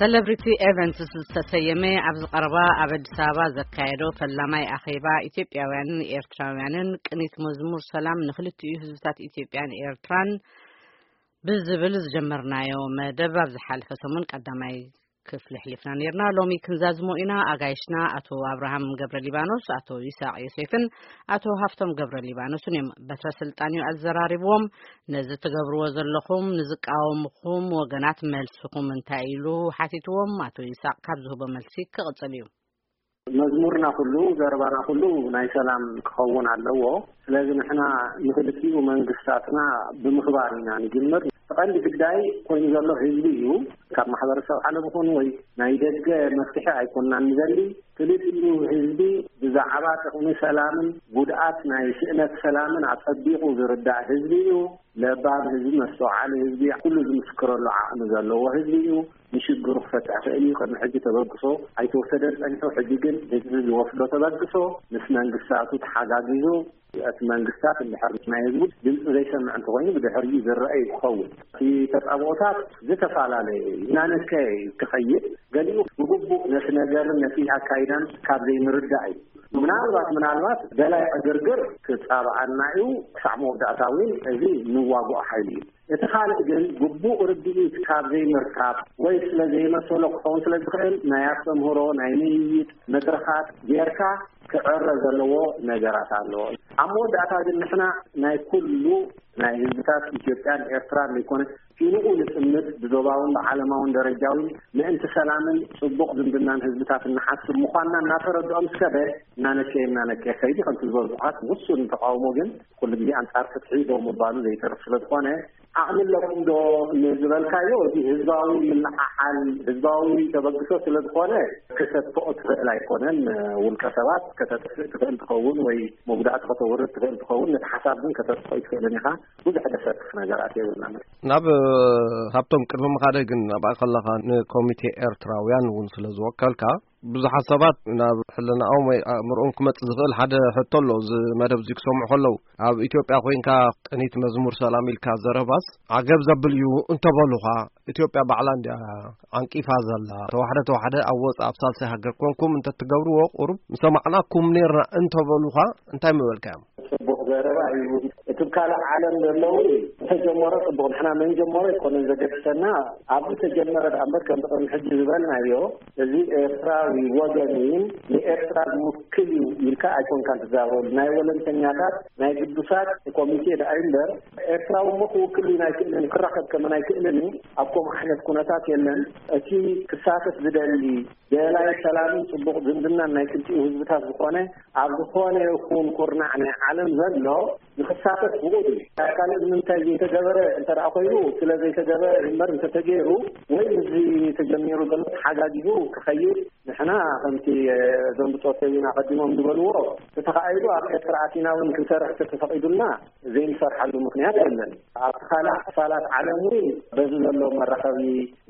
ሰለብሪቲ ኤቨንትስ ዝተሰየመ ኣብዚ ቀረባ ኣብ ኣዲስ ኣበባ ዘካየዶ ፈላማይ ኣኼባ ኢትዮጵያውያንን ኤርትራውያንን ቅኒት መዝሙር ሰላም ንክልቲኡ ህዝብታት ኢትዮጵያን ኤርትራን ብዝብል ዝጀመርናዮ መደብ ኣብ ዝሓለፈ ሰሙን ቀዳማይ ክፍሊ ኣሕሊፍና ነርና። ሎሚ ክንዛዝሞ ኢና። ኣጋይሽና ኣቶ ኣብርሃም ገብረ ሊባኖስ፣ ኣቶ ይስሐቅ ዮሴፍን ኣቶ ሃፍቶም ገብረ ሊባኖስን እዮም። በትረ ስልጣን እዩ ኣዘራሪብዎም። ነዚ ትገብርዎ ዘለኹም ንዝቃወምኹም ወገናት መልስኹም እንታይ ኢሉ ሓቲትዎም? ኣቶ ይስሐቅ ካብ ዝህቦ መልሲ ክቕጽል እዩ። መዝሙርና ኩሉ፣ ዘረባና ኩሉ ናይ ሰላም ክኸውን ኣለዎ። ስለዚ ንሕና ንክልቲኡ መንግስታትና ብምኽባር ኢና ንጅምር። ቀንዲ ግዳይ ኮይኑ ዘሎ ህዝቢ እዩ። ካብ ማሕበረሰብ ዓለም ይኹን ወይ ናይ ደገ መፍትሒ ኣይኮንናን ንደሊ። ክልቲኡ ህዝቢ ብዛዕባ ጥቕሚ ሰላምን ጉድኣት ናይ ስእነት ሰላምን ኣጸቢቑ ዝርዳእ ህዝቢ እዩ። ለባም ህዝቢ፣ መስተውዓሊ ህዝቢ፣ ኩሉ ዝምስክረሉ ዓቕሚ ዘለዎ ህዝቢ እዩ። ንሽግሩ ክፈትሕ ክእል እዩ። ቅድሚ ሕጂ ተበግሶ ኣይተወሰደን ጸኒሑ፣ ሕጂ ግን ህዝቢ ዝወስዶ ተበግሶ ምስ መንግስታቱ ተሓጋጊዙ፣ እቲ መንግስታት እንድሕር ናይ ህዝቡ ድምፂ ዘይሰምዕ እንተኮይኑ ብድሕሪኡ ዝረአ እዩ ክኸውን። እቲ ተጻብኦታት ዝተፈላለየ እዩ፣ እናነከየ እዩ ክኸይድ። ገሊኡ ብግቡእ ነቲ ነገርን ነቲ ኣካይዳን ካብ ዘይምርዳእ እዩ። ምናልባት ምናልባት ደላይ ዕግርግር ክጻብኣና እዩ። ክሳዕ መወዳእታ እውን እዚ ንዋግኦ ሓይሊ እዩ። እቲ ካልእ ግን ግቡእ ርድኢት ካብ ዘይምርካብ ወይ ስለ ዘይመሰሎ ክኸውን ስለ ዝኽእል ናይ ኣስተምህሮ ናይ ምይይጥ መድረኻት ጌርካ ክዕረ ዘለዎ ነገራት ኣለዎ። ኣብ መወዳእታ ግን ንሕና ናይ ኩሉ ናይ ህዝብታት ኢትዮጵያን ኤርትራን ዘይኮነ ኪንኡ ንጥምት ብዞባውን ብዓለማውን ደረጃውን ምእንቲ ሰላምን ጽቡቕ ዝምድናን ህዝብታት እንሓስብ ምዃንና እናተረድኦም እስከ በ እናነከየ እናነከየ ከይዲ ከምቲ ዝበልኩኻት ውሱን ተቃውሞ ግን ኩሉ ግዜ ኣንጻር ፍትሒ ደው ምባሉ ዘይተርፍ ስለ ዝኾነ ዓቕሚ ኣለኩም ዶ ንዝበልካዮ፣ እዚ ህዝባዊ ምልዓዓል፣ ህዝባዊ ተበግሶ ስለ ዝኾነ ክሰትኦ ትኽእል ኣይኮነን። ውልቀ ሰባት ከተጥፍእ ትኽእል ትኸውን ወይ መጉዳእቲ ከተውርድ ትኽእል ትኸውን፣ ነቲ ሓሳብ ግን ከተጥፍኦ ኣይትኽእልን ኢኻ። ብዙሕ ደሰክፍ ነገራት የብልናን። ናብ ሃብቶም ቅድሚ ምኻደይ ግን ኣብኣ ከለኻ ንኮሚቴ ኤርትራውያን እውን ስለ ዝወከልካ ብዙሓት ሰባት ናብ ሕልናኦም ወይ ኣእምሮኦም ክመጽእ ዝኽእል ሓደ ሕቶ ኣሎ። እዚ መደብ እዚ ክሰምዑ ከለዉ ኣብ ኢትዮጵያ ኮይንካ ቅኒት መዝሙር ሰላም ኢልካ ዘረባስ ዓገብ ዘብል እዩ እንተበሉኻ፣ ኢትዮጵያ ባዕላ እንድያ ዓንቂፋ ዘላ፣ ተዋሕደ ተዋሕደ ኣብ ወጻእ ኣብ ሳልሳይ ሃገር ኮንኩም እንተትገብርዎ ቁሩብ ምሰማዕናኩም ኔርና እንተበሉኻ እንታይ ምበልካዮም? ጽቡቕ ዘረባ እዩ። እቲ ካልእ ዓለም ዘለዉ ዝተጀመረ ጽቡቕ፣ ንሕና መን ጀመሮ ኣይኮነን ዘገድሰና፣ ኣብ ዝተጀመረ ደኣ እምበር ከምቲ ቅድሚ ሕጂ ዝበልናዮ እዚ ኤርትራዊ ወገን እዩ፣ ንኤርትራ ዝውክል እዩ ኢልካ ኣይኮንካን ትዛረበሉ። ናይ ወለንተኛታት ናይ ግዱሳት ኮሚቴ ደኣ እዩ እምበር ኤርትራዊ እሞ ክውክል እዩ ኣይክእልን፣ ክራኸብ ከመን ኣይክእልን እዩ። ኣብ ከምኡ ዓይነት ኩነታት የለን። እቲ ክሳተፍ ዝደሊ ደላይ ሰላምን ጽቡቕ ዝምድናን ናይ ክልቲኡ ህዝብታት ዝኾነ ኣብ ዝኾነ ይኹን ኩርናዕ ናይ ዓለም ዘሎ ንኽሳተፍ ብቑድ እዩ። ካብ ካልእ ንምንታይ ዘይተገበረ እንተ ደኣ ኮይኑ፣ ስለ ዘይተገበረ እምበር እንተተገይሩ ወይ ምስዚ ተጀሚሩ ዘሎ ተሓጋጊዙ ክኸይድ ንሕና ከምቲ፣ እ፣ እዞም ብጾት ሰዊን ኣቐዲሞም ዝበልዎ፣ ተተኻኢሉ ኣብ ኤርትራ ኣቲና እውን ክንሰርሕ ተተፈቒዱልና ዘይንሰርሓሉ ምኽንያት የለን። ኣብቲ ካልእ ክፋላት ዓለም እውን በዚ ዘሎ መራኸቢ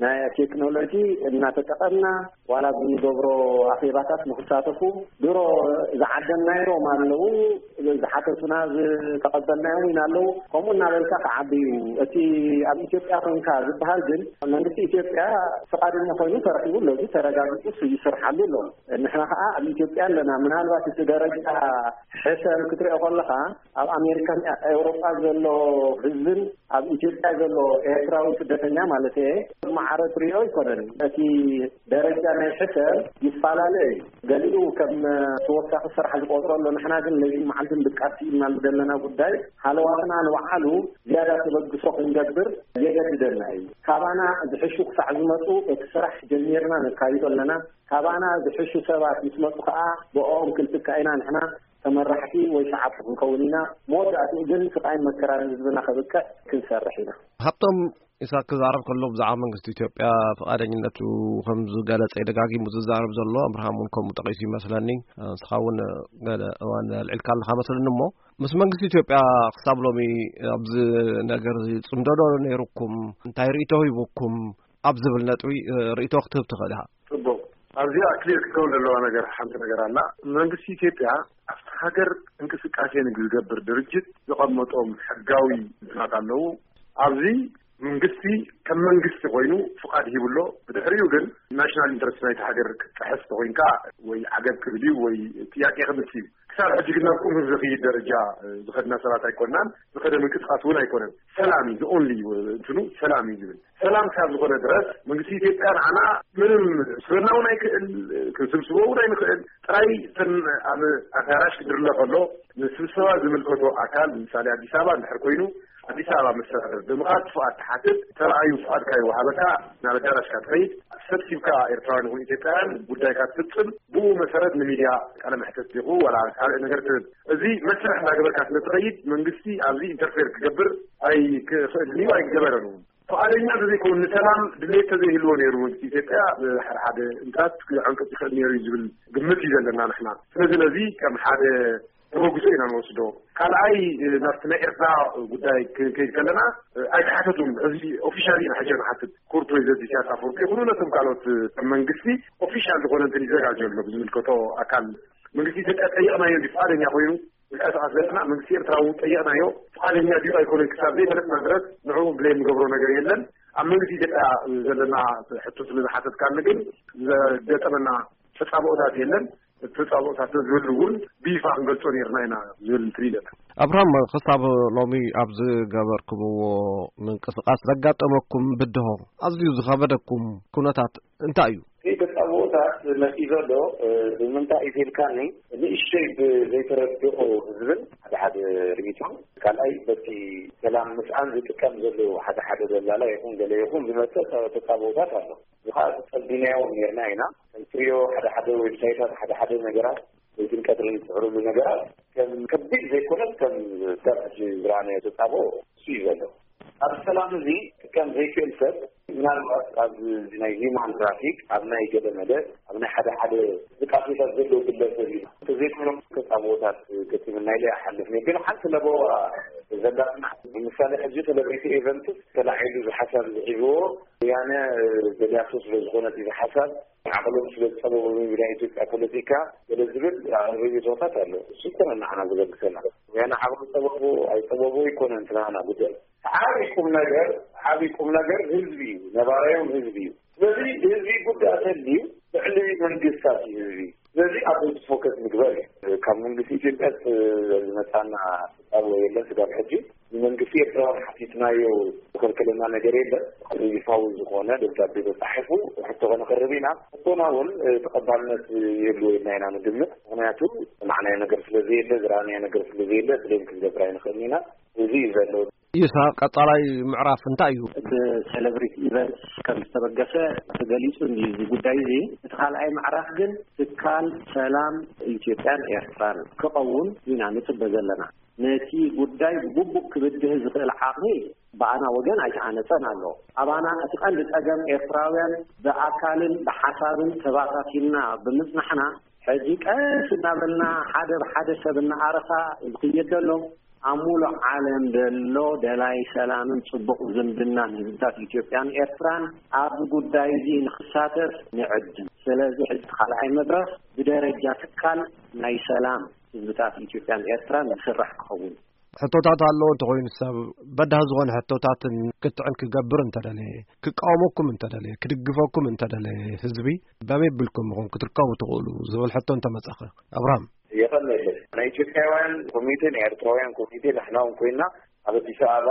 ናይ ቴክኖሎጂ እናተጠቐምና ዋላ ኣብ እንገብሮ ኣኼባታት ንኽሳተፉ ድሮ ዝዓደምናዮም ኣለዉ፣ ዝሓተቱና ዝተቐበልናዮም እውን ኣለዉ። ከምኡ እናበልካ ክዓቢ እዩ። እቲ ኣብ ኢትዮጵያ ኮንካ ዝበሃል ግን መንግስቲ ኢትዮጵያ ፍቓደኛ ኮይኑ ተረኺቡ ኣሎ፣ እዚ ተረጋጊጹ ይስርሓሉ ኣሎ። ንሕና ኸዓ ኣብ ኢትዮጵያ ኣለና። ምናልባት እቲ ደረጃ ሕሰም ክትሪኦ ከለኻ ኣብ ኣሜሪካን ኤውሮጳ ዘሎ ህዝብን ኣብ ኢትዮጵያ ዘሎ ኤርትራዊ ስደተኛ ማለት እየ፣ ማዕረ ትሪኦ ኣይኮነን። እቲ ደረጃ ናይ ሕሰም ይፈላለ እዩ። ገሊኡ ከም ተወሳኺ ስራሕ ዝቆጥሮ ኣሎ። ንሕና ግን ለይትን መዓልትን ድቃስ ኢልና ዘለና ጉዳይ ሃለዋትና ንባዕሉ ዝያዳ ተበግሶ ክንገብር የገድደና እዩ። ካባና ዝሕሹ ክሳዕ ዝመፁ እቲ ስራሕ ጀሚርና ነካይዶ ኣለና። ካባና ዝሕሹ ሰባት ምስ መፁ ከዓ ብኦም ክንትካ ኢና ንሕና ተመራሕቲ ወይ ሰዓብቲ ክንከውን ኢና። መወዳእትኡ ግን ስቃይን መከራን ህዝብና ከብቅዕ ክንሰርሕ ኢና። ሃብቶም ኢሳቅ ክዛረብ ከሎ ብዛዕባ መንግስቲ ኢትዮጵያ ፍቓደኝነቱ ከም ዝገለጸ ደጋጊሙ ዝዛረብ ዘሎ፣ ኣብርሃም እውን ከምኡ ጠቒሱ ይመስለኒ። ንስኻ እውን ገለ እዋን ኣልዒልካ ኣለኻ መስለኒ። እሞ ምስ መንግስቲ ኢትዮጵያ ክሳብ ሎሚ ኣብዚ ነገር እዚ ጽምዶ ዶ ነይሩኩም? እንታይ ርእይቶ ሂቡኩም? ኣብ ዝብል ነጥቢ ርእይቶ ክትህብ ትኽእል ኢኻ። ጽቡቕ። ኣብዚኣ ክሊር ክትከውን ዘለዋ ነገር ሓንቲ ነገር ኣላ። መንግስቲ ኢትዮጵያ ኣብቲ ሃገር እንቅስቃሴ ንዝገብር ድርጅት ዘቐመጦም ሕጋዊ እንትናት ኣለዉ። ኣብዚ መንግስቲ ከም መንግስቲ ኮይኑ ፍቓድ ሂቡ ኣሎ። ብድሕሪኡ ግን ናሽናል ኢንተረስት ናይቲ ሃገር ክትጥሕስ ተኾይንካ ወይ ዓገብ ክብል እዩ ወይ ጥያቄ ክምልስ እዩ። ክሳብ ሕጂ ግን ናብ ቁም ዝኽይድ ደረጃ ዝኸድና ሰባት ኣይኮናን። ዝኸደ ምንቅስቃስ እውን ኣይኮነን። ሰላም እዩ ዝኦንሊ እንትኑ ሰላም እዩ ዝብል። ሰላም ካብ ዝኾነ ድረስ መንግስቲ ኢትዮጵያ ንዓና ምንም ስበና እውን ኣይክእል፣ ክንስብስቦ እውን ኣይንኽእል። ጥራይ እተን ኣብ ኣዳራሽ ክድርለ ከሎ ንስብሰባ ዝምልከቶ ኣካል፣ ምሳሌ ኣዲስ ኣበባ እንድሕር ኮይኑ፣ ኣዲስ ኣበባ መስተዳደር ብምኻድ ፍቓድ ትሓትት፣ ተረኣዩ ፍቓድካ ይወሃበካ፣ ናብ ኣዳራሽካ ትኸይድ፣ ሰብሲብካ ኤርትራውያን ይኹን ኢትዮጵያውያን ጉዳይካ ትፍጽም፣ ብኡ መሰረት ንሚድያ ቃለ መሕተት ዲኹ ዋላ ካልእ ነገር ትብል። እዚ መስርሕ እንዳገበርካ ስለ ትኸይድ መንግስቲ ኣብዚ ኢንተርፌር ክገብር ኣይክኽእልን እዩ፣ ኣይገበረን እውን። ፍቓደኛ እንተዘይኮኑ፣ ንሰላም ድሌት ተዘይህልዎ ነይሩ መንግስቲ ኢትዮጵያ ብሓደ ሓደ እንታት ክዕንቅጽ ይኽእል ነይሩ እዩ ዝብል ግምት እዩ ዘለና ንሕና። ስለዚ ነዚ ከም ሓደ ተበግሶ ኢና ንወስዶ። ካልኣይ፣ ናብቲ ናይ ኤርትራ ጉዳይ ክንከይድ ከለና፣ ኣይተሓተቱን። እዚ ኦፊሻሊ ኢና ሕጂ ንሓትት። ክቡር ፕሬዚደንት ኢሳያስ ኣፈወርቂ ይኹኑ ነቶም ካልኦት ከም መንግስቲ ኦፊሻል ዝኾነ እንትን ይዘጋጀ ኣሎ ብዝምልከቶ ኣካል መንግስቲ ኢትዮጵያ ጠይቕናዮ እንዲ ፍቓደኛ ኮይኑ ምንቀሳቐስ ዘለና መንግስቲ ኤርትራ እውን ጠየቕናዮ። ፍቓደኛ ድዩ ኣይኮነን ክሳብ ዘይፈለጥና ድረስ ንዕኡ ብሌም ንገብሮ ነገር የለን። ኣብ መንግስቲ ኢትዮጵያ ዘለና ሕቶ ስለ ዝሓተትካኒ ግን ዘገጠመና ተጻብኦታት የለን። እቲ ተጻብኦታት ዝህሉ እውን ብይፋ ክንገልጾ ነርና ኢና ዝብል እንትን ኢለና። ኣብርሃም፣ ክሳብ ሎሚ ኣብ ዝገበርኩምዎ ምንቅስቃስ ዘጋጠመኩም ብድሆ፣ ኣዝዩ ዝኸበደኩም ኩነታት እንታይ እዩ? እቲ ተጻብኦታት መጺእ ዘሎ፣ እ፣ ብምንታይ እዩ ተልካኒ፣ ንእሽተይ ብዘይተረድኦ ዝብል ሓደ ሓደ ርኢቶ፣ ካልኣይ በቲ ሰላም ምስኣን ዝጥቀም ዘሎ ሓደ ሓደ ደላላ ይኹን ገለ ይኹን ዝመጽእ ተ-፣ ተጻብኦታት ኣሎ። እዚ ኸኣ ጸቢናዮ ነርና ኢና። ከም ትሪኦ ሓደ ሓደ ዌብሳይታት፣ ሓደ ሓደ ነገራት፣ ለይትን ቀትርን ዝስዕርሉ ነገራት ከም ከቢድ ዘይኮነስ ከም ክሳብ ሕጂ ዝረኣናዮ ተጻብኦ እሱ እዩ ዘሎ። ኣብ ሰላም እዚ ክጥቀም ዘይክእል ሰብ ምናልባት ኣብ ናይ ሂውማን ትራፊክ፣ ኣብ ናይ ገለ መለ፣ ኣብ ናይ ሓደ ሓደ እንቅስቃሴታት ዘለዉ ግለሰብ እዩ። እንተዘይኮይኖም ተጻብኦታት ገጢሙና ኢለ ይሓልፍ ነይሩ። ግን ሓንቲ ለበዋ ዘላትና ብምሳሌ ሕጂ ሴሌብሪቲ ኤቨንትስ ተላዒሉ እዚ ሓሳብ እዚ ሒዝዎ ወያነ ደልያቶ ስለ ዝኾነት እዚ ሓሳብ ዓቕሎም ስለ ዝጸበቡ ናይ ኢትዮጵያ ፖለቲካ ገለ ዝብል ርኢቶታት ኣሎ። እሱ ይኮነ ንዓና ዘገድሰና። ወያነ ዓቕሉ ጸበቦ ኣይጸበቦ ይኮነ እንትናና ጉዳይ። ዓቢ ቁም ነገር፣ ዓቢ ቁም ነገር ህዝቢ እዩ፣ ነባራዮም ህዝቢ እዩ። ስለዚ ህዝቢ ጉዳይ ተልዩ ልዕሊ መንግስታት እዩ ህዝቢ። ስለዚ ኣብ ህዝቢ ፎከስ ምግበር እዩ። ካብ መንግስቲ ኢትዮጵያ ዝመጻና ተጻብኦ የለን ስጋብ ሕጂ። ንመንግስቲ ኤርትራ ሓቲትናዮ ዝከልከለና ነገር የለን። ይፋዊ ዝኾነ ደብዳቤ ተጻሒፉ ሕቶ ከነቕርብ ኢና። ሕቶና እውን፣ እ፣ ተቐባልነት የብሉ ኢልና ኢና ንግምት። ምኽንያቱ ዝሰማዕናዮ ነገር ስለ ዘየለ፣ ዝረኣናዮ ነገር ስለ ዘየለ፣ ብሌም ክንገብር ኣይንኽእልን ኢና። እዚ እዩ ዘሎ። ኢሳ፣ ቀጻላይ ምዕራፍ እንታይ እዩ? ብሴሌብሪቲ ኢቨንትስ ከም ዝተበገሰ ተገሊጹ እንድዩ እዚ ጉዳይ እዚ። እቲ ካልኣይ ምዕራፍ ግን ትካል ሰላም ኢትዮጵያን ኤርትራን ክኸውን ኢና ንጽበ ዘለና። ነቲ ጉዳይ ብግቡእ ክብድህ ዝኽእል ዓቕሚ ብኣና ወገን ኣይተሃነጸን ኣሎ። ኣባና እቲ ቀንዲ ጸገም ኤርትራውያን ብኣካልን ብሓሳብን ተባታቲንና ብምጽናሕና፣ ሕጂ ቀስ እናበልና ሓደ ብሓደ ሰብ እናኣረኻ ዝኽየድ ዘሎ ኣብ ሙሉእ ዓለም ዘሎ ደላይ ሰላምን ጽቡቕ ዝምድናን ህዝብታት ኢትዮጵያን ኤርትራን ኣብዚ ጉዳይ እዚ ንኽሳተፍ ንዕድም። ስለዚ ሕጂ ካልኣይ መድረኽ ብደረጃ ትካል ናይ ሰላም ህዝብታት ኢትዮጵያን ኤርትራን ዝስራሕ ክኸውን። ሕቶታት ኣለዎ እንተኾይኑ ሰብ በዳህ ዝኾነ ሕቶታትን ክትዕን ክገብር እንተደለየ፣ ክቃወመኩም እንተደለየ፣ ክድግፈኩም እንተደለየ ህዝቢ በመይ ቢልኩም ኢኹም ክትርከቡ ትኽእሉ ዝብል ሕቶ እንተመጸኸ? ኣብርሃም። የቐንየለይ። ናይ ኢትዮጵያውያን ኮሚቴ፣ ናይ ኤርትራውያን ኮሚቴ ንሕና እውን ኮይና ኣብ ኣዲስ ኣበባ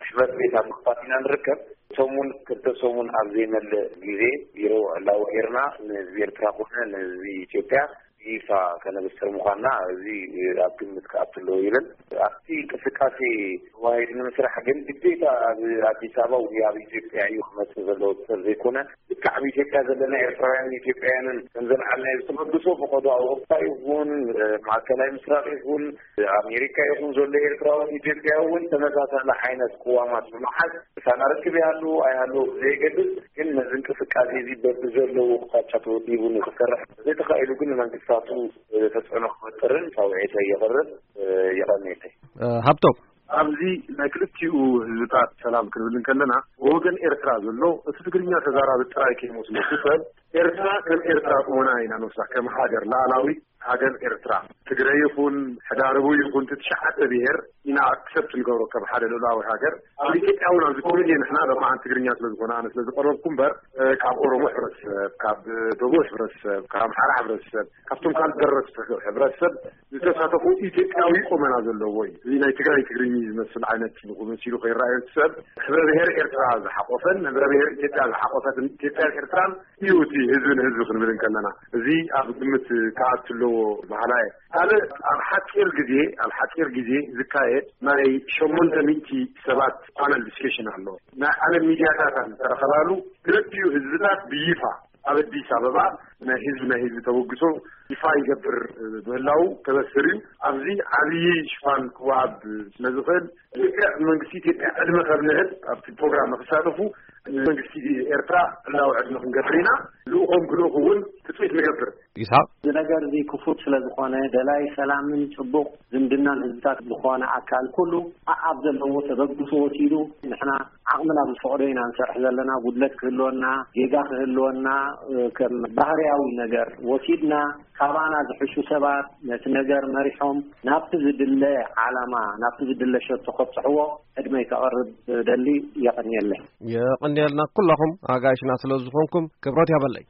ጽሕፈት ቤት ኣብ ምኽፋት ኢና ንርከብ። ሰሙን ክልተ ሰሙን ኣብ ዘይመልእ ግዜ ቢሮ ዕላዊ ጌርና ንህዝቢ ኤርትራ ኮነ ንህዝቢ ኢትዮጵያ ይፋ ከነብስር ምዃንና እዚ ኣብ ግምት ክኣቱ ኣለዎ ይብል። ኣብቲ እንቅስቃሴ ተዋሂድ ንምስራሕ ግን ግዴታ ኣብ ኣዲስ ኣበባ ወይ ኣብ ኢትዮጵያ እዩ ክመጽእ ዘለዎ ሰብ ዘይኮነ፣ ልክዕ ኣብ ኢትዮጵያ ዘለና ኤርትራውያንን ኢትዮጵያውያንን ከም ዘልዓልናዮ ዝተበግሶ ፈቐዶ ኣውሮፓ ይኹን፣ ማእከላይ ምስራቅ ይኹን፣ ኣሜሪካ ይኹን ዘሎ ኤርትራውን ኢትዮጵያ እውን ተመሳሳሊ ዓይነት ቅዋማት ብምሓዝ ምሳና ርክብ ይሃሉ ኣይሃሉ ዘይገድስ፣ ግን ነዚ እንቅስቃሴ እዚ በብዘለዎ ኣቕጣጫ ተወዲቡ ንክሰርሕ ዘይተኻኢሉ ግን ንመንግስታቱ ተጽዕኖ ክፈጥርን ጻውዒተይ የቕርብ፣ የቐንየለይ። ሃብቶም። ኣብዚ ናይ ክልቲኡ ህዝብታት ሰላም ክንብል እንከለና፣ ብወገን ኤርትራ ዘሎ እቲ ትግርኛ ተዛራቢ ጥራይ ከይመስለኩም ሰብ፣ ኤርትራ ከም ኤርትራ ቁመና ኢና ንወስዳ፣ ከም ሃገር ላዕላዊት ሃገር ኤርትራ፣ ትግረ ይኹን ሕዳርቡ ይኹን፣ እቲ ትሽዓተ ብሄር ኢና ኣክሰፕት ንገብሮ ከም ሓደ ልኡላዊ ሃገር። ኣብ ኢትዮጵያ እውን ኣብዚ ኮሚቴ ንሕና ለማዓን ትግርኛ ስለ ዝኾነ ኣነ ስለ ዝቐረብኩ እምበር፣ እ፣ ካብ ኦሮሞ ሕብረተሰብ፣ ካብ ደቡብ ሕብረተሰብ፣ ካብ ኣምሓራ ሕብረተሰብ፣ ካብቶም ካልእ ደረስቲ ሕብረተሰብ ዝተሳተፉ ኢትዮጵያዊ ቁመና ዘለዎ እዩ። እዚ ናይ ትግራይ ትግርኝ ዝመስል ዓይነት መሲሉ ከይረኣዮ ሰብ፣ ሕብረ ብሔር ኤርትራ ዝሓቆፈን፣ ሕብረ ብሔር ኢትዮጵያ ዝሓቆፈትን ኢትዮጵያን ኤርትራን እዩ እቲ ህዝቢ ንህዝቢ ክንብል እንከለና። እዚ ኣብ ግምት ክኣቱ ኣለዎ በሃላይ እየ። ካልእ ኣብ ሓፂር ግዜ፣ ኣብ ሓፂር ግዜ ዝካየድ ናይ ሸሞንተ ሚእቲ ሰባት ፓነል ዲስከሽን ኣሎ። ናይ ዓለም ሚድያታት ዝተረኸባሉ ክልቲኡ ህዝብታት ብይፋ ኣብ ኣዲስ ኣበባ ናይ ህዝቢ፣ ናይ ህዝቢ ተበግሶ ይፋ ይገብር ምህላው ከበስር እዩ። ኣብዚ ዓብዪ ሽፋን ክወሃብ ስለ ዝኽእል፣ ልክዕ መንግስቲ ኢትዮጵያ ዕድመ ከብንህል ኣብቲ ፕሮግራም ንክሳተፉ ንመንግስቲ ኤርትራ ዕላዊ ዕድመ ክንገብር ኢና። ልኡኾም ክልእኹ እውን ትፅቢት ንገብር። ይስሓቅ። እዚ ነገር እዚ ክፉት ስለ ዝኾነ፣ ደላይ ሰላምን ጽቡቕ ዝምድናን ህዝብታት ዝኾነ ኣካል ኩሉ ኣኣብ ዘለዎ ተበግሶ ወሲዱ፣ ንሕና ዓቕምና ብዝፈቕዶ ኢና ንሰርሕ ዘለና። ጉድለት ክህልወና፣ ጌጋ ክህልወና፣ እ፣ ከም ባህርያዊ ነገር ወሲድና፣ ካባና ዝሕሹ ሰባት ነቲ ነገር መሪሖም ናብቲ ዝድለ ዓላማ፣ ናብቲ ዝድለ ሸቶ ከብጽሕዎ ዕድመይ ከቕርብ ደሊ። የቐንየለይ። የቐንየልና ኩላኹም ኣጋይሽና ስለ ዝኾንኩም ክብረት ያበለይ።